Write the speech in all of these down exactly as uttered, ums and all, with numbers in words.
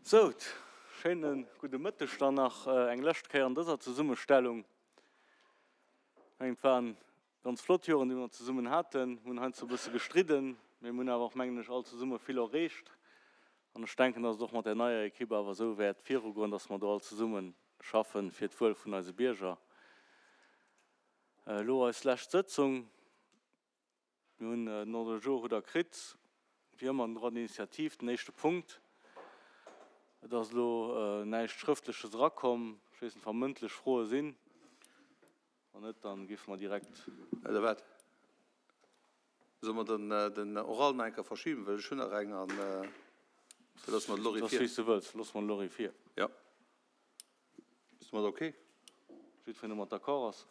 Sou, schéine gudde Mëtteg dann nach eng lescht Kéier an dëser Zesummestellung. Ech mengen, et waren ganz flott Joren, déi mer zesummen haten. Mir hunn heiansdo e bësse gestridden, mee mir hunn awer och, mengen ech, all zesumme vill erreecht. An ech denken, dass et och mat där neier Ekipp awer esou wäert virugoen, dass mer do all zesumme schaffen fir d'Wuel vun eise Bierger. Elo eis lescht Sëtzung. Mir hunn den Ordre du jour hutt Der kritt. Wéi ëmmer den Droit d'initiative, den éischte Punkt. Et ass elo näischt Schrëftleches erakomm. Ech weess net, wa mëndlech Froe sinn. Wann net, da géife mer direkt. Oder wat? Solle mer den, den Oral nach eng Kéier verschiben, well ech hunn nach eng an da loosse mer de Lory vir. Dat ass wéi s de wëlls. Loosse mer de Lory vir. Jo. Ass domat ok? Jiddwereen domat d'accord ass.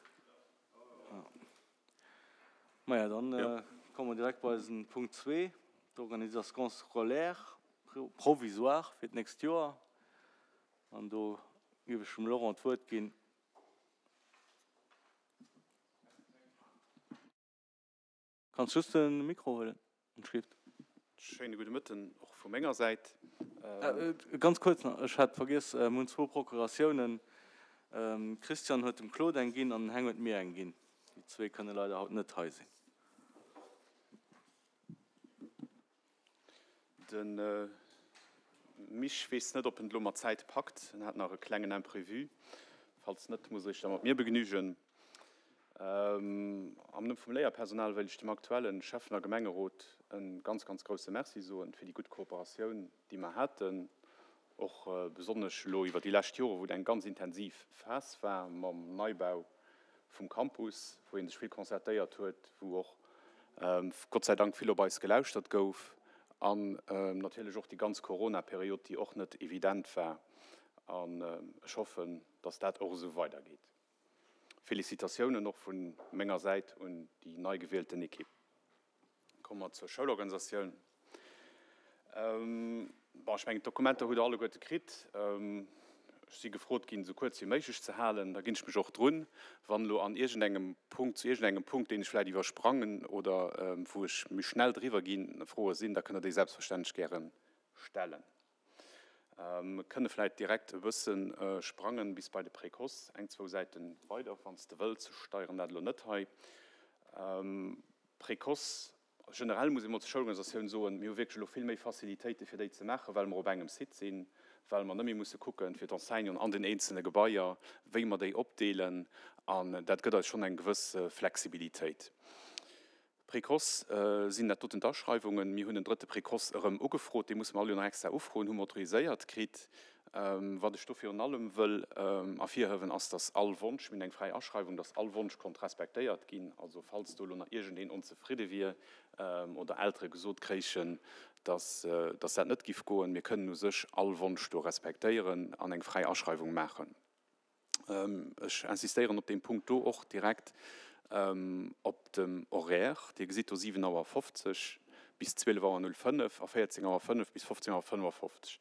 Maja, dann komme mer direkt bei eisen Punkt zwee, d'Organisation scolaire provisoire fir d'nächst Joer. An do géif ech dem Laurent d'Wuert ginn. Kanns just de Mikro huelen, entschuldigt. Schéine gudde Mëtten och vu menger Säit. Ganz kuerz nach, ech hat vergiess, mir hunn zwou Procuratiounen. Christian huet dem Claude eng ginn an den Heng huet mir eng ginn. Déi zwee kënne leider haut net hei sinn. De Mich weess net, ob en et elo mat Zäit packt. En hat nach e klengen Imprévu. Falls net, muss e sech da mat mir begnügen. Am Numm vum Léierpersonal wéilt ech dem aktuelle Schäffen a Gemengerot e ganz, ganz grousse Merci soen fir déi gutt Kooperatioun, déi mer haten, och besonnesch elo iwwer déi lescht Joren, wou et eng ganz intensiv Phas war mam Neibau vum Campus, wou ee sech vill concertéiert huet, wou och Gott sei Dank vill op eis gelauschtert gouf an natierlech och déi ganz Corona-Period, déi och net evident war. An ech hoffen, dass dat och esou weidergeet. Félicitatiounen och vu menger Säit un déi nei gewielten Ekipp. Komme mer zur Schoulorganisatioun. Bon, ech mengen, d'Dokumenter hutt Der alleguerte kritt. Ech si gefrot ginn, esou kuerz wéi méiglech ze halen. Da ginn ech mech och drun. Wann elo an iergendengem Punkt, zu iergendengem Punkt, deen ech vläicht iwwersprangen oder wou ech méi schnell driwwer ginn, Froe sinn, da kënnt Der déi selbstverständlech gäre stellen. Mir kënne vläicht direkt e bësse sprangen bis bei de Précoce, eng, zwou Säite weider, wann s de wëlls. Ech steieren dat elo net hei. Précoce Generell muss ee mol zur Schoulorganisatioun soen, mir hu wierklech elo vill méi Facilitéite fir déi ze maachen, well mer op engem Site sinn, well mer net méi musse kucken, fir d'Enseignanten an den eenzelne Gebaier, wéi mer déi opdeelen. An dat gëtt eis schonn eng gewëss Flexibilitéit. Précoce sinn dat doten d'Aschreiwungen. Mir hunn en drëtte Précoce erëm ugefrot, dee musse mer all Joer nach extra ufroen, hu mer autoriséiert kritt. Wat ech do virun allem wëll ervirhiewen, ass, dass all Wonsch, mir hunn eng fräi Aschreiwung, dass all Wonsch konnt respektéiert ginn. Also falls do elo nach iergendeen onzefridde wier oder Eltere gesot kréichen, dass dass dat net giff goen, mir kënnen u sech all Wonsch do respektéieren an eng fräi Aschreiwung maachen. Ech insistéieren op deem Punkt do och direkt op dem Horaire. Dir gesitt do siwen Auer fofzeg bis zwielef Auer null fënnef a véierzéng Auer fënnef bis fofzéng Auer fënnefafofzeg.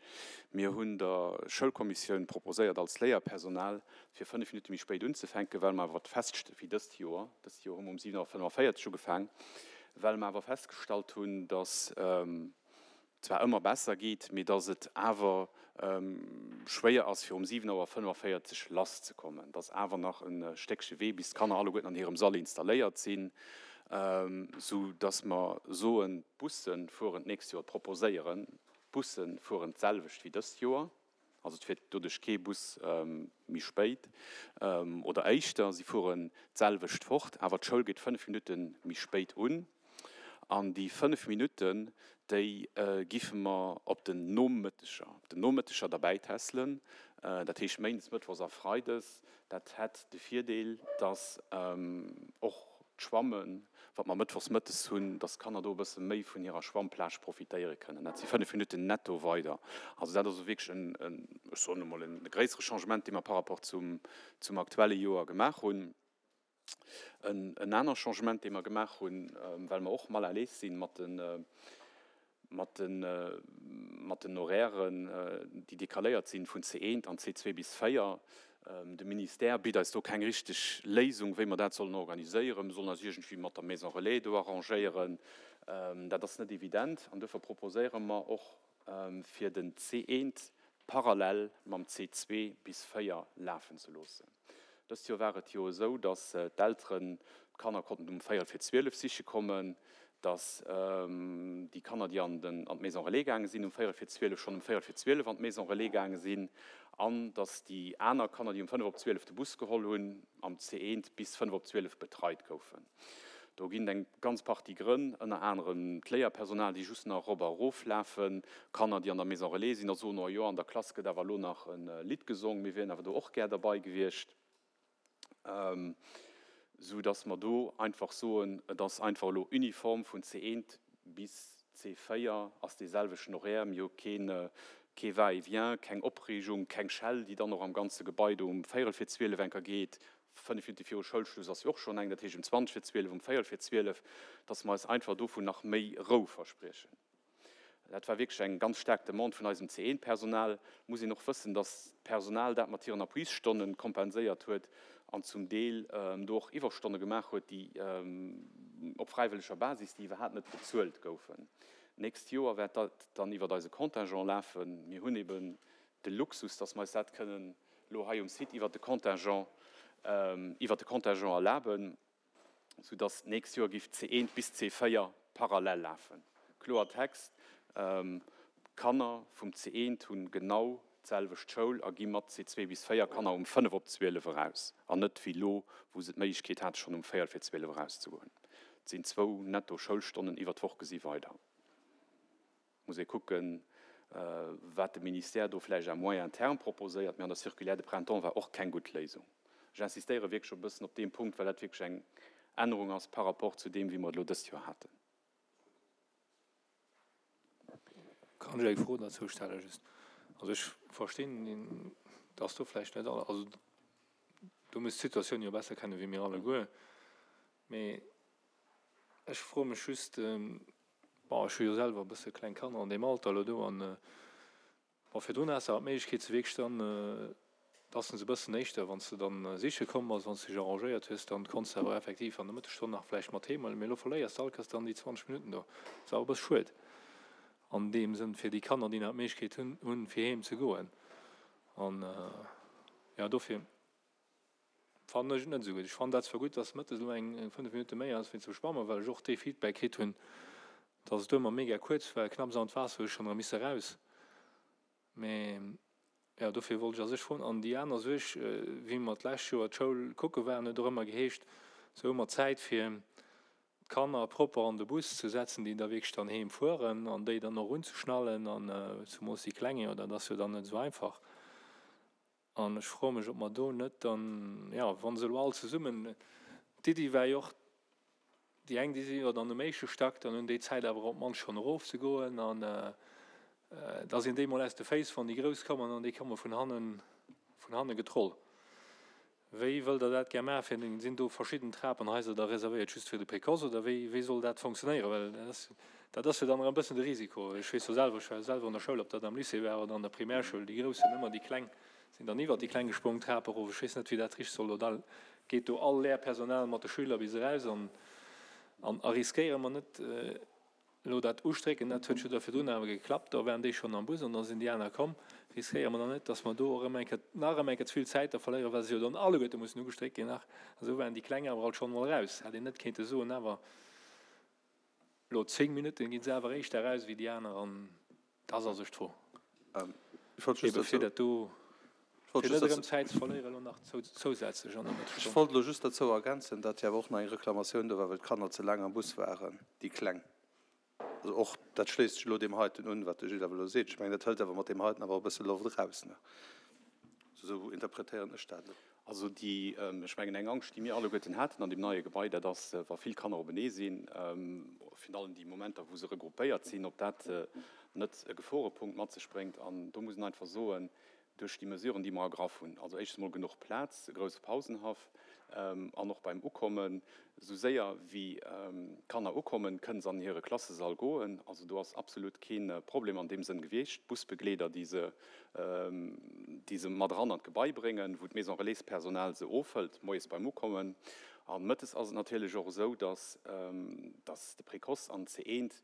Mir hunn der Schoulkommissioun proposéiert als Léierpersonal, fir fënnef Minutte méi spéit unzefänken, well mer awer festst wéi dëst Joer, dëst Joer hu mer um siwen Auer fënnefaféierzeg ugefaang, well mer awer festgestallt hunn, dass zwar ëmmer besser geet, mee dass et awer schwéier ass, fir um siwen Auer fënnefaféierzeg lasszekommen. Et ass awer nach e Stéckche Wee, bis d'Kanner alleguerten an hirem Sall installéiert sinn, sou dass mer soen, d'Busse fueren d'nächst Joer, proposéieren, d'Busse fueren d'selwecht wéi dëst Joer. Also et fiert doduerch kee Bus méi spéit oder éischter, si fueren d'selwecht fort, awer d'Schoul geet fënnef Minutte méi spéit un. An déi fënnef Minutten, déi giffe mer op den Nomëtteger, op den Nomëtteger derbäitässelen, dat heescht méindes, mëttwochs a freides. Dat hätt de Virdeel, dass och d'Schwammen, wat mer mëttwochs mëttes hunn, dass d'Kanner do e bësse méi vun hirer Schwammplage profitéiere kënnen. Dat si fënnef Minutten netto weider. Also dat ass elo wierklech en, ech soen emol, e gréissere Changement, dee mer par rapport zum, zum aktuelle Joer gemaach hunn. En aner Changement, dee mer gemaach hunn, well mer och mal à l'aise si mat de, mat de, mat den Horairen, déi decaléiert sinn vun C eent an C zwee bis véier. De Ministère bitt eis do keng richteg Léisung, wéi mer dat sollen organiséieren. Mir sollen eis iergendwéi mat der Maison Relais do arrangéieren. Dat ass net evident an duerfir proposéiere mer och fir den C eent parallel mam C zwee bis véier lafen ze loossen. Dëst Joer war et jo esou, dass d'Elteren d'Kanner konnten um véierel fir zwielef siche kommen, dass déi Kanner, déi an den, an d'Maison Relais gaange sinn, um véierel fir zwielef schonn um véierel fir zwielef an d'Maison Relais gaange sinn an dass déi aner Kanner, déi um fënnef op zwielef de Bus geholl hunn, am C eent bis fënnef op zwielef betreit goufen. Do ginn et eng ganz Partie Grënn, ënner anerem d'Léierpersonal, déi just nach erop a erof lafen, Kanner, déi an der Maison Relais sinn a soen, oh jo, an der Klass gëtt awer elo nach e Lidd gesong, mir wieren awer do och gär derbei gewiescht. Sou dass mer do einfach soen, et ass einfach elo uniform vun C eent bis C véier ass dee selwechten Horaire, mir hu keen, kee Va-et-vient, keng Opreegung, keng Schell, déi dann och am ganze Gebai do um véierel fir zwielef enker geet. Fënnef Minutte viru Schoulschluss ass jo och schonn eng, dat heescht um zwanzeg fir zwielef, um véierel fir zwielef, dass mer eis einfach dovun nach méi Rou verspriechen. Dat war wierklech eng ganz staark Demande vun eisem C eent-Personal. Muss een och wëssen, dass d'Personal dat mat hiren Appuisstonnen kompenséiert huet an zum Deel do och Iwwerstonne gemaach huet, déi op fräiwëlleger Basis, déi iwwerhaapt net bezuelt goufen. D'nächst Joer wäert dat dann iwwert eise Contingent lafen. Mir hunn eben de Luxus, dass mer eis dat kënnen elo hei um Site iwwert de Contingent, iwwert de Contingent erlaben, soudass d'nächst Joer géif C eent bis C véier parallel lafen. Kloer Text, d'Kanner vum C eent hunn genau d'selwecht Schoul a gi mat C zwee bis véier Kanner um fënnef op zwielef eraus an net wéi elo, wou se d'Méiglechkeet hate schonn um véierel fir zwielef erauszegoen. Et sinn zwou netto Schoulstonnen iwwer d'Woch gesi weider. Muss ee kucken, wat de Ministère do vläicht à moyen terme proposéiert, mee an der Circulaire de printemps war och keng gutt Léisung. Ech insistéiere wierklech e bëssen op deem Punkt, well dat wierklech eng Ännerung ass par rapport zu deem, wéi mer et elo dëst Joer haten. Kann ech eng Fro dozou stellen, just? Also ech verstinn, dass du vläicht net alle, also du muss d'Situatioun jo besser kennen wéi mir alleguer, mee ech froe mech just, bon, ech hu jo selwer e bësse kleng Kanner an deem Alter elo do an, bon, virdrun has du awer d'Méiglechkeet ze wierklech dann, dass se e bëssen éischter, wann s du dann siche komm bass, wann s du dech arrangéiert hues, dann konns du awer effektiv an der Mëttesstonn nach vläicht mat heem huelen, mee elo verléiers du all Kéiers dann déi zwanzeg Minutten do. Dat ass awer e bësse schued an deem Sënn fir déi Kanner, déi nach d'Méiglechkeet hunn, hunn, fir heem ze goen. An, ja, dofir fannen ech et net esou gutt. Ech fannen dat zwar gutt, dass mëttes elo eng, eng fënnef Minutte méi ass wéi zum Schwammen, well ech och dee Feedback kritt hunn, dass et ëmmer mega kuerz war, knapps an d'Waasser hu ech schonn erëm misse raus. Mee ja, dofir wollt ech a sech froen. An déi aner Suerg, wéi mer d'lescht Joer d'Schoul kucke waren, huet och ëmmer geheescht, se hu mer Zäit fir d'Kanner propper an de Bus ze setzen, déi da wierklech dann heem fueren an déi dann och unzeschnallen an zemoos déi Kleng, jo, dat ass jo dann net esou einfach. An ech froe mech, ob mer do net dann, ja, wa se elo all zesummen, d'Iddi war jo och, déi eng, déi si jo dann um éischte Stack, dann hunn déi Zäit awer op d'mannst schonn erofzegoen an da sinn déi mol aus de Féiss, wann déi Grouss kommen an déi komme vun hannen, vun hanne getroll. Wéi wëllt Der dat gär maachen? Fir sinn do verschidden Trapenhaiser da reservéiert just fir de Précoce oder wéi, wéi soll dat funktionéieren? Well dat ass, dat ass jo dann erëm e bëssen de Risiko. Ech weess jo selwer, ech war jo selwer an der Schoul, ob dat am Lycée war oder an der Primärschoul, déi Grouss sinn ëmmer déi Kleng, sinn dann iwwert déi Kleng gesprong, d'Trap erof. Ech weess net, wéi dat richteg soll. Oder geet do all Léierpersonal mat de Schüler bis eraus an, an a riskéiere mer net elo dat Ustrécken, dat huet jo da virdrun awer geklappt, da waren déi schonn am Bus an da sinn déi aner komm, riskéiere mer dann net, datt mer do erëm eng Kéier, nach erëm eng Kéier ze vill Zäit da verléieren, well se jo dann alleguerte mussen ugestréckt ginn nach. A sou waren déi Kleng awer alt schonn emol eraus. Hätt een net kéinte soen, awer elo zéng Minutten gi se awer éischter eraus wéi déi aner an dat ass a sech d'Fro. Ech wollt just Ebe fir dozou, dat do, ech wollt fir just net erëm dozou, Zäit ze verléieren elo nach zousätzlech an der ech Mëttesstonn. wollt elo just dozou ergänzen, datt jo awer och nach eng Reklamatioun do war, well d'Kanner ze laang am Bus waren, déi Kleng. Also och, dat schléisst sech elo deem heiten un, wat de Gilles awer elo seet. Ech mengen, dat hëlt awer mat deem heiten awer e bësse Loft eraus, ne? Esou interpretéieren ech dat elo. Also déi, ech mengen, eng Angscht, déi mir alleguerten haten an deem neie Gebai, dat ass, wa vill Kanner openee sinn, virun allem déi Momenter, wou se regroupéiert sinn, ob dat net e Geforepunkt mat sech bréngt. An do muss een einfach soen, duerch déi Mesuren, déi mer ergraff hunn, also éischtens emol genuch Plaz, e grousse Pausenhaff, an och beim Ukommen, esou séier wéi d'Kanner ukommen, kënnen se an hire Klassesall goen. Also do ass absolut kee Problem an deem Sënn gewiescht. D'Busbegleeder, déi se, déi se mat eran an d'Gebai bréngen, wou d'Maison Relais-Personal se ofhëlt, moies beim Ukommen. A mëttes ass et natierlech och esou, dass, dass de Précoce an C eent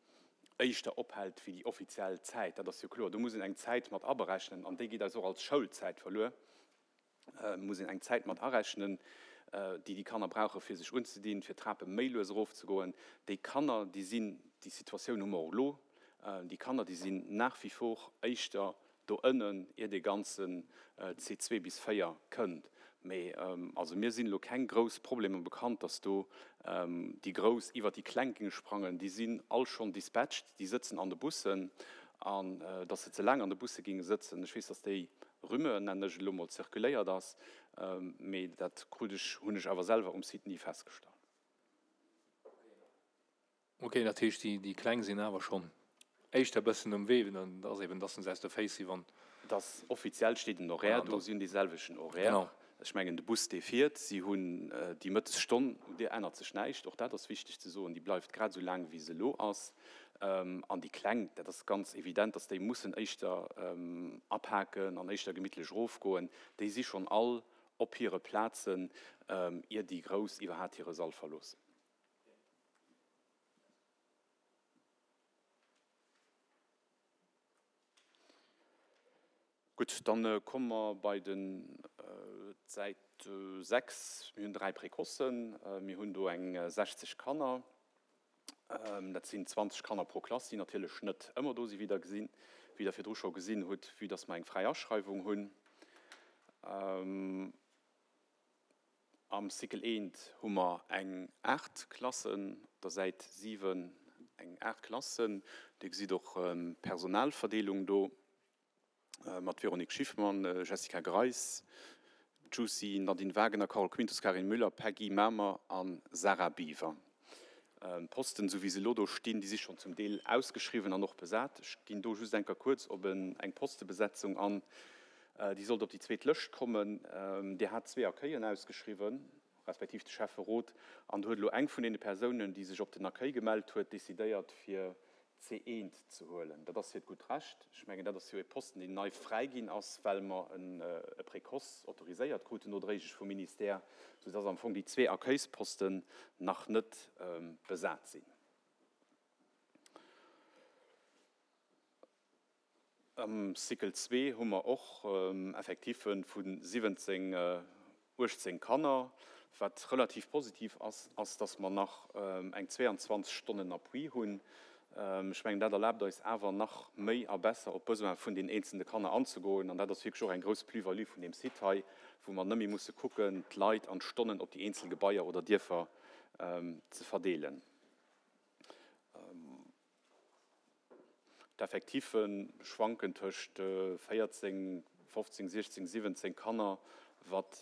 éischter ophält wéi déi offiziell Zäit. Dat ass jo kloer. Do muss een eng Zäit mat aberechnen an déi geet eis och als Schoulzäit verluer. Muss een eng Zäit mat arechnen, déi déi Kanner brauche fir sech unzedinn, fir d'Trape méi lues erofzegoen. Déi Kanner, déi sinn, déi Situatioun hu mer och elo, déi Kanner, déi sinn nach wie vor éischter do ënnen, ier dee ganzen C zwee bis véier kënnt. Mee also mir sinn elo keng grouss Problemer bekannt, dass do déi Grouss iwwert déi Kleng géinge sprangen. Déi sinn all schonn dispatched, déi sëtzen an de Bussen. An dass se ze laang an de Busse géinge sëtzen, ech weess, dass déi Rumeur, nennen ech et elo mol, zirkuléiert ass, mee dat krut ech, hunn ech awer selwer um Site ni festgestallt. Ok, dat heescht, déi Kleng sinn awer schonn éischter e bëssen um Wee, dann ass eben, dass se aus de Féiss si wann. Dass offiziell steet en Horaire do, si hunn dee selwechten Horaire. Ech mengen, de Bus, dee fiert, si hunn déi Mëttesstonn, un där ännert sech näischt, och dat ass wichteg ze soen, déi bleift grad esou laang, wéi se elo ass. An déi Kleng, dat ass ganz evident, dass déi mussen éischter apaken an éischter gemittlech erofgoen. Déi si schonn all op hire Plazen, ier déi Grouss iwwerhaapt hire Sall verloossen. Gutt, dann komme mer bei den d'Säit sechs. Mir hunn dräi Précocen. Mir hunn do eng sechzeg Kanner. Dat sinn zwanzeg Kanner pro Klass, déi natierlech net ëmmer do sinn, wéi Der gesinn, wéi Der virdru scho gesinn hutt, vue dass mer eng fräi Aschreiwung hunn. Am Cycle eent hu mer eng aacht Klassen, op der Säit siwen eng aacht Klassen. Dir gesitt och d'Personalverdeelung do mat Véronique Schiffmann, Jessica Greis, Giusy, Nadine Wagener, Carole Quintus, Karin Müller, Peggy Mamer a Sarah Biwer. D'Posten, esou wéi se elo do stinn, déi si schonn zum Deel ausgeschriwwen an och besat. Ech ginn do just eng Kéier kuerz op eng Postebesetzung an. Déi sollt op déi zweet Lëscht kommen. Dir hat zwee Accueillen ausgeschriwwen, respektiv de Schäfferot. An do huet elo eng vun deene Persounen, déi sech op den Accueil gemellt huet, decidéiert, fir C eent ze huelen. Dat ass hiert gutt Recht. Ech mengen, dat ass jo e Posten, deen nei fräi ginn ass, well mer e Précoce autoriséiert kruten, nodréiglech vum Ministère, soudass am Fong déi zwee Accueilsposten nach net besat sinn. Am Cycle zwee hu mer och Effectife vu siwwenzéng, uechtzéng Kanner. Wat relativ positiv ass, ass, dass mer nach eng zweeanzwanzeg Stonnen Appui hunn. Ech mengen, dat erlaabt eis awer nach méi a besser op d'Besoin vun den eenzelne Kanner anzegoen. An dat ass wierklech och eng grouss Plus-value vun deem Site hei, wou mer net méi musse kucken, d'Leit an d'Stonnen op déi eenzel Gebaier oder Dierfer ze verdeelen. D'Effectiffe schwanken tëscht véierzéng, fofzéng, siechzéng, siwwenzéng Kanner, wat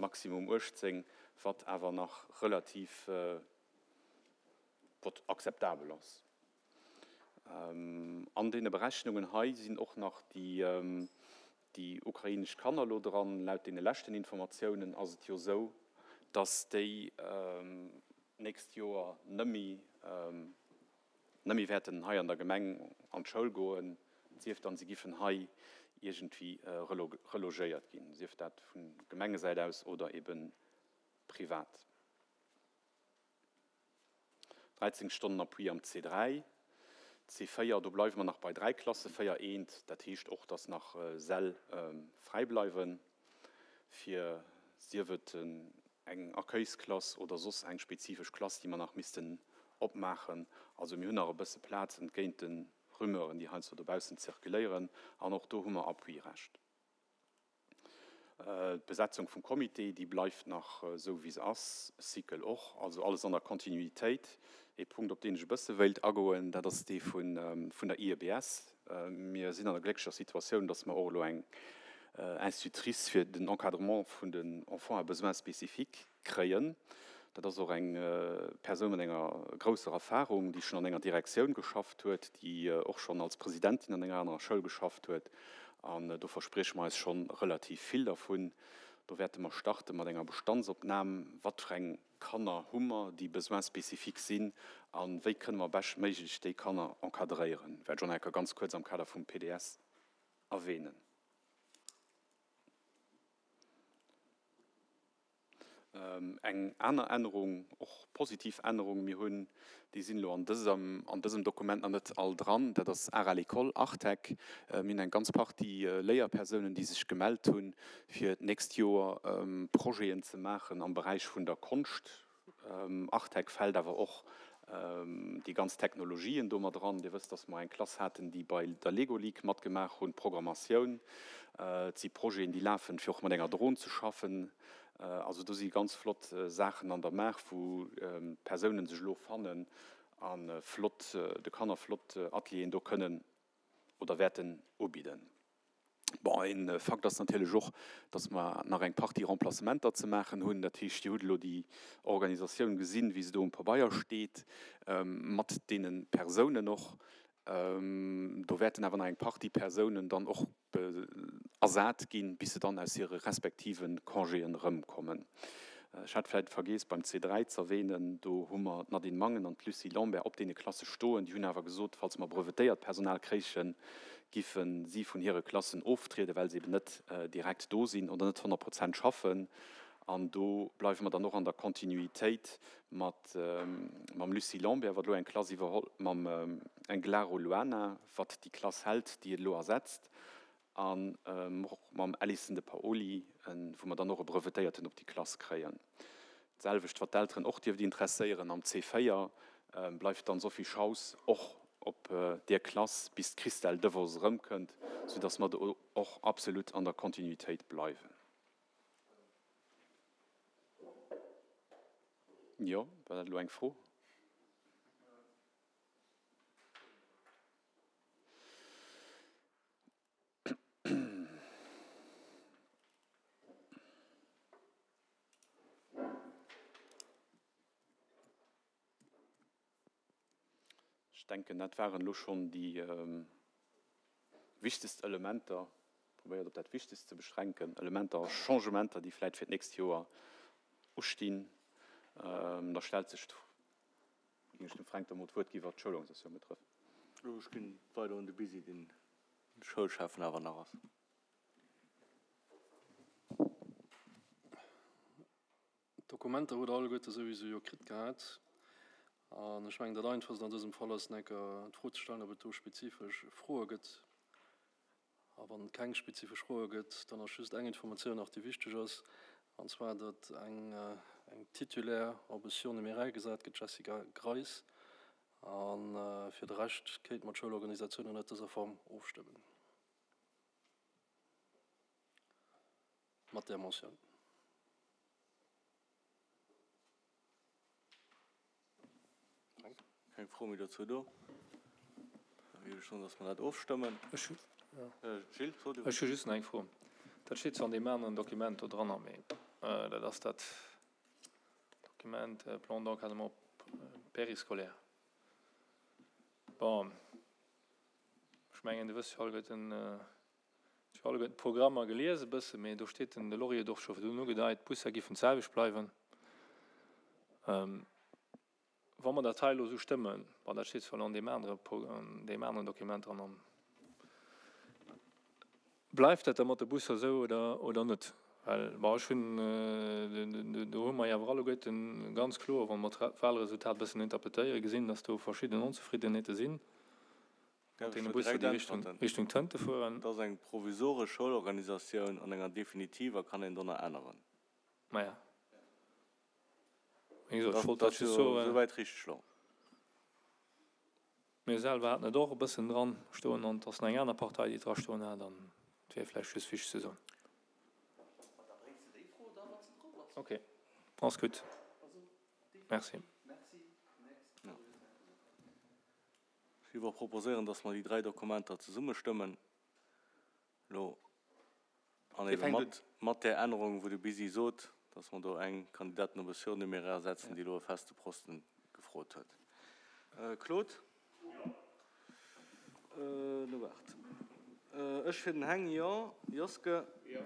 maximum uechtzéng, wat awer nach relativ, wat akzeptabel ass. An deene Berechnungen hei sinn och nach déi ukrainesch Kanner elo dran. Laut deene leschten Informatiounen ass et jo esou, dass déi nächst Joer nëmmi nëmmi wäerten hei an der Gemeng an d'Schoul goen, sief dann si giffen hei iergendwéi relogéiert ginn, sief dat vu Gemengesäit aus oder ebe privat. dräizéng Stonnen Appui am C dräi, C véier, do bleiwe mer nach bei dräi Klasse, véier eent, dat heescht och, dass nach Säll fräi bleiwen, fir sief et eng Accueilsklass oder soss eng spezifesch Klass, déi mer nach missten opmaachen. Also mir hunn nach e bësse Plaz entgéint de Rumeuren, déi heiansdo dobaussen zirkuléieren, an och do hu mer Appuirecht. D'Besetzung vum Comité, déi bleift nach esou wéi se ass, Cycle och, also alles an der Kontinuitéit. Ee Punkt, op deen ech e bësse wéilt agoen, dat ass dee vun der I E B S. Mir sinn an der glécklecher Situatioun, dass mer och elo eng Institutrice fir den Encadrement vun den Enfants à besoins spécifiques kréien. Dat ass och eng Persoun mat enger grousser Erfahrung, déi schonn an enger Direktioun geschafft huet, déi och schonn als Presidentin an enger anerer Schoul geschafft huet. An do versprieche mer eis schonn relativ vill dervun. Do wäerte mer starte mat enger Bestandsopnam, wat fir eng Kanner hu mer, déi Besoins spécifiques sinn, a wéi kënne mer beschtméiglech déi Kanner encadréieren. Wäert ech och nach eng Kéier ganz kuerz am Kader vum P D S erwähnen. Eng aner Ännerung, och positiv Ännerung, mir hunn, déi sinn elo an dësem, an dësem Dokument nach net all dran, dat ass Art à l'école, Artec. Mir hunn eng ganz Partie Léierpersounen, déi sech gemellt hunn, fir d'nächst Joer Projeten ze maachen am Beräich vun der Konscht. Artec fält awer och déi ganz Technologien do mat eran. Dir wësst, dass mer eng Klass haten, déi bei der Lego League matgemaach hunn, Programmatioun. Et si Projeten, déi lafen, fir och mat enger Dron ze schaffen. Also do si ganz flott Saachen an der Maach, wou d'Persounen sech elo fannen a flott, de Kanner flott Atelieren do kënnen oder wäerten ubidden. Bon, e Fakt ass natierlech och, dass mer nach eng Partie Remplacementer ze maachen hunn. Dat heescht, Dir hutt elo déi Organisatioun gesinn, wéi se do um Pabeier steet, mat deene Persounen och. Do wäerten awer nach eng Partie Persounen dann och ersat ginn, bis se dann aus hire respektive Congéen erëmkommen. Ech hat vläicht vergeess beim C dräi z'erwähnen, do hu mer d'Nadine Mangen an d'Lucie Lambert op deene Klasse stoen. Déi hunn awer gesot, falls mer brevetéiert Personal kréichen, giffe si vun hire Klassen oftrieden, well se eben net direkt do sinn oder net honnert Prozent schaffen. An do bleiwe mer dann och an der Kontinuitéit mat mam Lucie Lambert, wat elo eng Klass iwwerholl, mam Englaro Luana, wat déi Klass hält, déi et elo ersetzt, an och mam Alison De Paoli, wou mer dann och e Brevetéierten op déi Klass kréien. D'selwecht, wat d'Elteren och dierft interesséieren, am C véier bleift dann Sophie Schaus och op där Klass, bis d'Christelle Devos erëmkënnt, soudass mer do och absolut an der Kontinuitéit bleiwen. Jo, war dat elo eng Fro? Ech denken, dat waren elo schonn déi wichtegst Elementer, probéiert op dat Wichtegst ze beschränken, Elementer a Changementer, déi vläicht fir d'nächst Joer ustinn. Da stellt sech, géing ech dem Fränk da mol d'Wuert ginn, wat d'Schoulorganisatioun betrëfft. Ech ginn weider un de Bisi, deen Schoulschäffen awer nach ass. D'Dokumenter hutt Der alleguerte souwisou jo kritt gehat. An ech mengen, dat Einfachst an dësem Fall ass, enker d'Fro ze stellen, ob et do spezifesch Froe gëtt. A wann et keng spezifesch Froe gëtt, dann ass just eng Informatioun nach, déi wichteg ass, an zwar, datt eng, eng Titulaire op e Surnuméraire gesat gëtt, d'Jessica Greis. A fir de Rescht kéinte mer d'Schoulorganisatioun ënnert dëser Form ofstëmmen. Mat där Motioun. Keng Fro méi dozou do. Da géif ech soen, dass mer dat ofstëmmen. Ech hu Gilles, so du. Ech hu just nach eng Fro. Dat steet zwar an deem aneren Dokument do dranner, mee dat ass dat Dokument Plan d'encadrement périscolaire. Bon, ech mengen, Dir wësst jo alleguerten, ech hu alleguerten d'Programmer gelies e bësse, mee do steet den, de Laurier huet och scho virdrun ugedeit, d'Busser giffen d'selwecht bleiwen. Wa mer dat hei elo esou stëmmen, bon, dat steet zwar elo an deem anere, an deem aneren Dokument dran, an bleift dat da mat de Busser esou oder, oder net? Well, bon, ech hunn, do hu mer jo awer alleguerten ganz kloer, wa mer d'Wahlresultat e bëssen interpretéieren, gesinn, dass do verschidden Onzefriddenheete sinn mat deene Busser, déi Richtung, Richtung Tënte fueren. Et ass eng provisoresch Schoulorganisatioun, an enger definitiver kann een do nach änneren. Maja. Wéi gesot, ech wollt Dat dat ass just jo soen. esouwäit richteg elo. Mir selwer haten et och e bëssen dran stoen an et ass nach eng aner Partei, déi et dra stoen hat an et wier vläicht just wichteg ze soen. Ok, ass gutt. Merci. Ech géif och proposéieren, dass mer déi dräi Dokumenter zesumme stëmmen elo an Dir ebe fänkt mat, mat där Ännerung, wou de Bisi sot, dass mer do eng Kandidatin op e Surnuméraire setzen, déi elo e feste Posten gefrot huet. Claude? No waart. Ech fir den Heng, jo. Joske? Jo.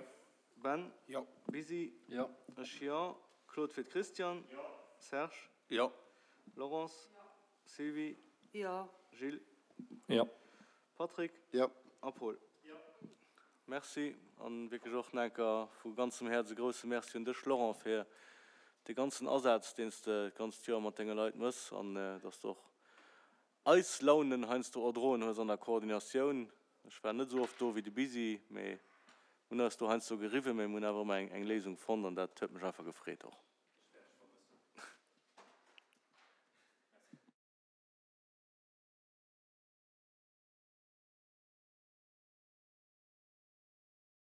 Ben? Jo. Bisi? Jo. Ech jo. Claude fir d'Christiane? Jo. Serge? Jo. Laurence? Jo. Sylvie? Jo. Gilles? Jo. Patrick? Jo. A Paul? Jo. Merci an wierklech och nach eng Kéier vu ganzem Häerz e grousse Merci un dech, Laurent, fir de ganzen Asaz, deen s de d'ganzt Joer mat denge Leit mëss an dass de och eis Launen heiansdo erdroen hues an der Koordinatioun. Ech war net esou oft do wéi de Bisi, mee mir hunn eis do heiansdo geriwwen, mee mir hunn awer ëmmer eng Léisung fonnt an dat huet mech einfach gefreet och.